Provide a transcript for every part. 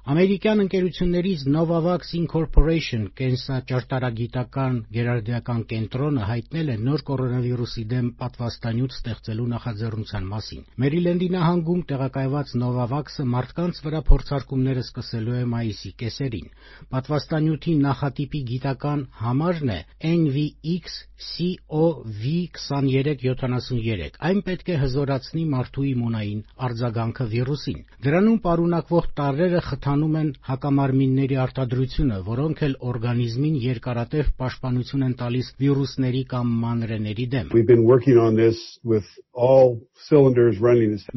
Ամերիկյան ընկերություններից Novavax Incorporation կենսաճարտարագիտական գերարդիական կենտրոնը հայտնել է նոր կորոնավիրուսի դեմ պատվաստանյութ ստեղծելու նախաձեռնության մասին։ Մերիլենդի նահանգում տեղակայված Novavax-ը մարդկանց վրա փորձարկումները սկսելու է մայիսի կեսերին։ Պատվաստանյութի նախատիպի գիտական համարն է NVX-CoV2373։ Այն պետք է հզորացնի մարդու իմունային արձագանքը վիրուսին։ Դրանում պարունակվող տարրերը խթանում են հակամարմինների արտադրությունը, որոնք էլ օրգանիզմին երկարատև պաշտպանություն են տալիս վիրուսների կամ մանրէների դեմ։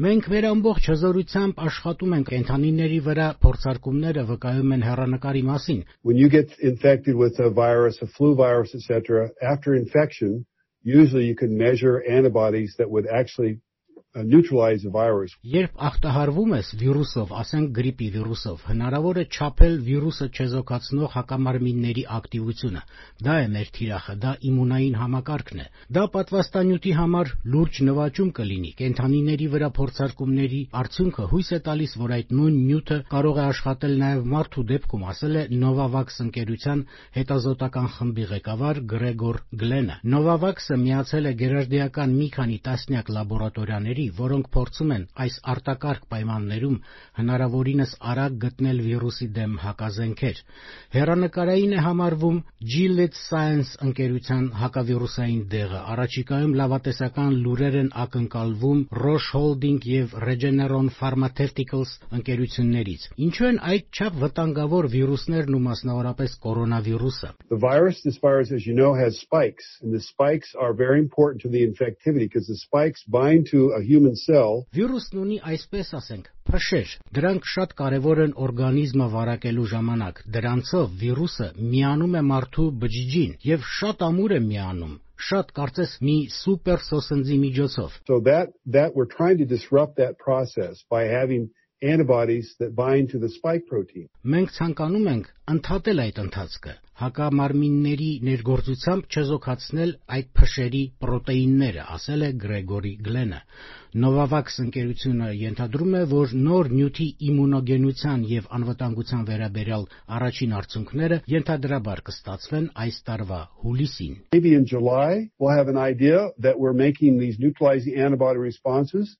Մենք մեր ամբողջ հզորությամբ աշխատում ենք կենդանիների վրա փորձարկումները վկայում են հեռանկարի մասին։ When you get infected with a virus, a flu virus, etc., after infection, usually you can measure antibodies that would actually neutralize the virus. Երբ ախտահարվում ես վիրուսով, ասենք գրիպի վիրուսով, հնարավոր է չափել վիրուսը չեզոքացնող հակամարմինների ակտիվությունը։ Դա է մեր թիրախը, դա իմունային համակարգն է։ Դա պատվաստանյութի համար լուրջ նվաճում կլինի։ Կենդանիների վրա փորձարկումների արդյունքը հույս է տալիս, որ այդ նույն նյութը կարող է աշխատել նաև մարդու դեպքում, ասել է Novavax ընկերության հետազոտական խմբի ղեկավար Գրեգոր Գլենը։ Novavax-ը միացել է գերարդիական մի քանի տասնյակ լաբորատորիաների, որոնք փորձում են այս արտակարգ պայմաններում հնարավորինս արագ գտնել վիրուսի դեմ հակազենքեր։ Հեռանկարային է համարվում Gilead Sciences ընկերության հակավիրուսային դեղը։ Առաջիկայում լավատեսական լուրեր են ակնկալվում Roche Holding և Regeneron Pharmaceuticals ընկերություններից։ Ինչու են այդչափ վտանգավոր վիրուսներն ու մասնավորապես կորոնավիրուսը։ The virus, as you know, has spikes, and the spikes are very important to the infectivity because the spikes bind to a human cell. Վիրուսն ունի, այսպես ասենք, փշեր։ Դրանք շատ կարևոր են օրգանիզմը վարակելու ժամանակ։ Դրանցով վիրուսը միանում է մարդու բջիջին և շատ ամուր է միանում։ Շատ կարծես մի սուպեր սոսնձի միջոցով։ So that we're trying to disrupt that process by having antibodies that bind to the spike protein. Մենք ցանկանում ենք ընդհատել այդ ընթացքը, հակամարմինների ներգործությամբ չեզոքացնել այդ փշերի պրոտեինները, ասել է Գրեգորի Գլենը։ Novavax ընկերությունը ենթադրում է, որ նոր նյութի իմունոգենության և անվտանգության վերաբերյալ առաջին արդյունքները ենթադրաբար կստացվեն այս տարվա հուլիսին։ Maybe in July we'll have an idea that we're making these neutralizing antibody responses.